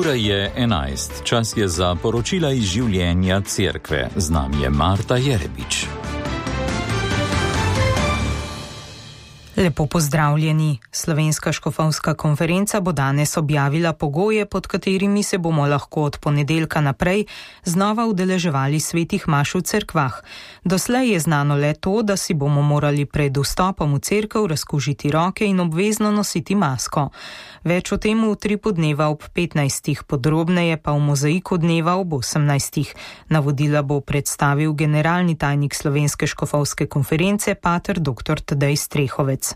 Ura je 11, čas je za poročila iz življenja cerkve. Z nami je Marta Jerebič. Lepo pozdravljeni. Slovenska škofovska konferenca bo danes objavila pogoje, pod katerimi se bomo lahko od ponedeljka naprej znova udeleževali svetih maš v cerkvah. Doslej je znano le to, da si bomo morali pred vstopom v cerkev razkužiti roke in obvezno nositi masko. Več o tem v Utripu dneva ob 15, podrobneje pa v Mozaiku dneva ob 18. Navodila bo predstavil generalni tajnik Slovenske škofovske konference pater dr. Tadej Strehovec.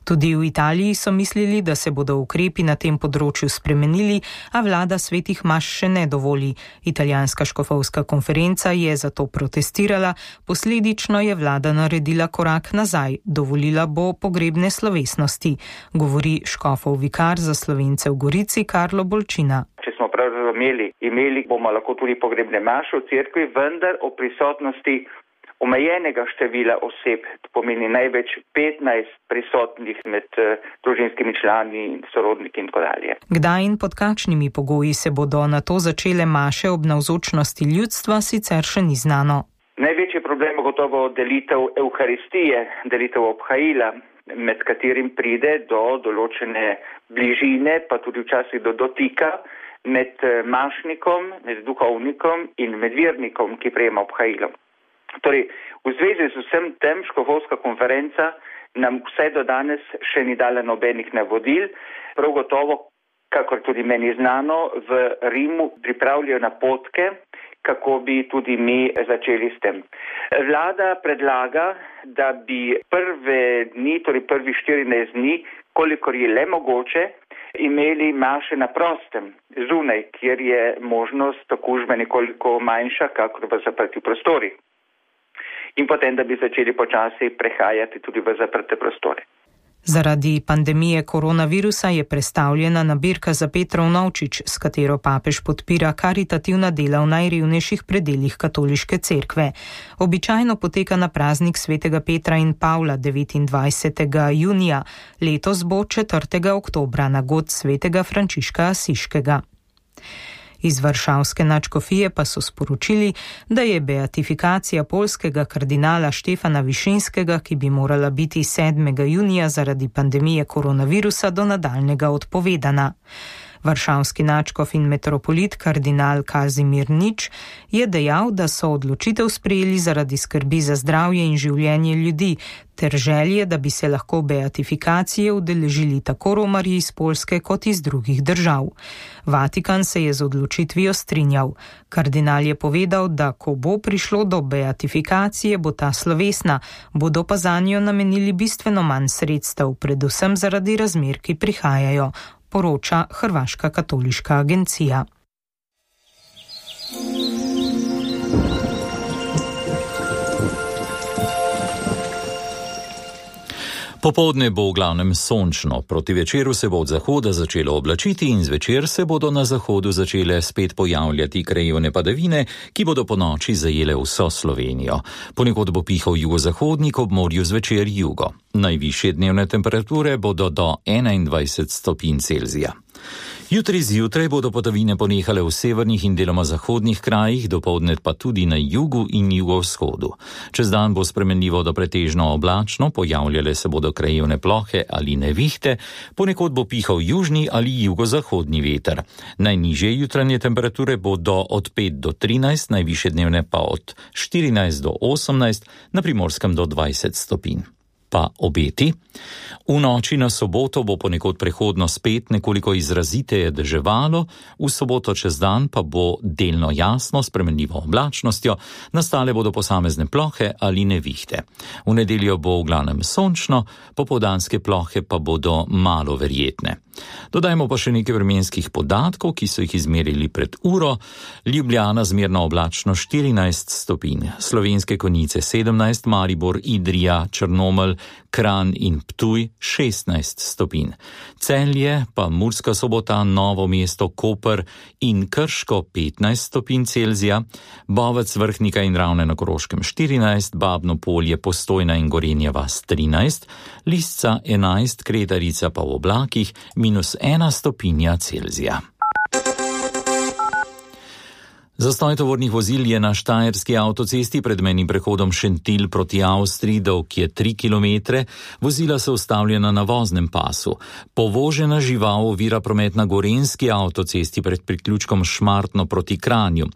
Tudi v Italiji so mislili, da se bodo ukrepi na tem področju spremenili, a vlada svetih maš še ne dovoli. Italijanska škofovska konferenca je zato protestirala, posledično je vlada naredila korak nazaj, dovolila bo pogrebne slovesnosti, govori škofov vikar za Slovence v Gorici Karlo Bolčina. Če smo prav razumeli, imeli bomo lahko tudi pogrebne maše v cerkvi, vendar o prisotnosti omejenega števila oseb, to pomeni največ 15 prisotnih med družinskimi člani in sorodniki in tako dalje. Kdaj in pod kakšnimi pogoji se bodo na to začele maše ob navzočnosti ljudstva, sicer še ni znano. Največji problem je gotovo delitev evharistije, delitev obhajila, med katerim pride do določene bližine, pa tudi včasih do dotika med mašnikom, med duhovnikom in med vernikom, ki prejema obhajilo. Torej, v zvezi z vsem tem škofovska konferenca nam vse do danes še ni dala nobenih navodil. Prav gotovo, kakor tudi meni znano, v Rimu pripravljajo napotke, kako bi tudi mi začeli s tem. Vlada predlaga, da bi prve dni, torej prvih 14 dni, kolikor je le mogoče, imeli maše na prostem, zunaj, kjer je možnost okužbe nekoliko manjša, kakor v zaprtih prostorih. In potem, da bi začeli počasi prehajati tudi v zaprte prostore. Zaradi pandemije koronavirusa je prestavljena nabirka za Petrov novčič, s katero papež podpira karitativna dela v najrevnejših predeljih katoliške cerkve. Običajno poteka na praznik svetega Petra in Pavla 29. junija, letos bo 4. oktobra na god svetega Frančiška Asiškega. Iz varšavske nadškofije pa so sporočili, da je beatifikacija poljskega kardinala Štefana Višinskega, ki bi morala biti 7. junija zaradi pandemije koronavirusa, do nadaljnjega odpovedana. Varšavski nadškof in metropolit kardinal Kazimir Nič je dejal, da so odločitev sprejeli zaradi skrbi za zdravje in življenje ljudi ter želje, da bi se lahko beatifikacije udeležili tako romarji iz Poljske kot iz drugih držav. Vatikan se je z odločitvijo strinjal. Kardinal je povedal, da ko bo prišlo do beatifikacije, bo ta slovesna, bodo pa zanjo namenili bistveno manj sredstev, predvsem zaradi razmer, ki prihajajo, poroča Hrvaška katoliška agencija. Popoldne bo v glavnem sončno, proti večeru se bo od zahoda začelo oblačiti in zvečer se bodo na zahodu začele spet pojavljati krajevne padavine, ki bodo ponoči zajele vso Slovenijo. Ponekod bo pihal jugozahodnik, ob morju zvečer jugo. Najvišje dnevne temperature bodo do 21 stopinj Celzija. Jutri zjutraj bodo padavine ponehale v severnih in deloma zahodnih krajih, dopoldne pa tudi na jugu in jugovzhodu. Čez dan bo spremenljivo do pretežno oblačno, pojavljale se bodo krajevne plohe ali nevihte, ponekod bo pihal južni ali jugozahodni veter. Najnižje jutranje temperature bodo od 5 do 13, najvišje dnevne pa od 14 do 18, na Primorskem do 20 stopinj. Pa obeti. V noči na soboto bo ponekod prehodno spet nekoliko izraziteje deževalo, v soboto čez dan pa bo delno jasno, spremenljivo oblačnostjo, nastale bodo posamezne plohe ali nevihte. V nedeljo bo v glavnem sončno, popoldanske plohe pa bodo malo verjetne. Dodajmo pa še nekaj vremenskih podatkov, ki so jih izmerili pred uro. Ljubljana zmerno oblačno 14 stopinj, Slovenske Konjice 17, Maribor, Idrija, Črnomelj, Kranj in Ptuj 16 stopinj. Celje pa Murska Sobota, Novo mesto, Koper in Krško 15 stopinj Celzija, Bovec, Vrhnika in Ravne na Koroškem 14, Babno Polje, Postojna in Gorenja vas 13, Lisca 11, Kretarica pa v oblakih -1 stopinja Celzija. Zastoj tovornih vozil je na štajerski avtocesti pred mejnim prehodom Šentilj proti Avstriji, dolg je 3 km, vozila so ustavljena na voznem pasu. Povožena žival ovira promet na gorenjski avtocesti pred priključkom Šmartno proti Kranju.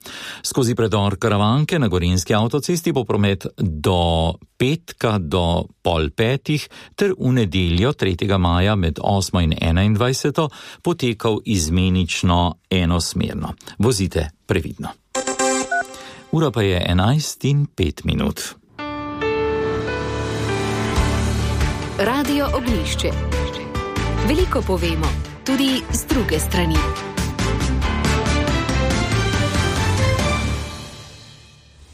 Skozi predor Karavanke na gorenjski avtocesti bo promet do petka do 4:30 ter v nedeljo 3. maja med 8. in 21. potekal izmenično enosmerno. Vozite previdno. Ura pa je 11:05. Radio Oglišče. Veliko povemo, tudi z druge strani.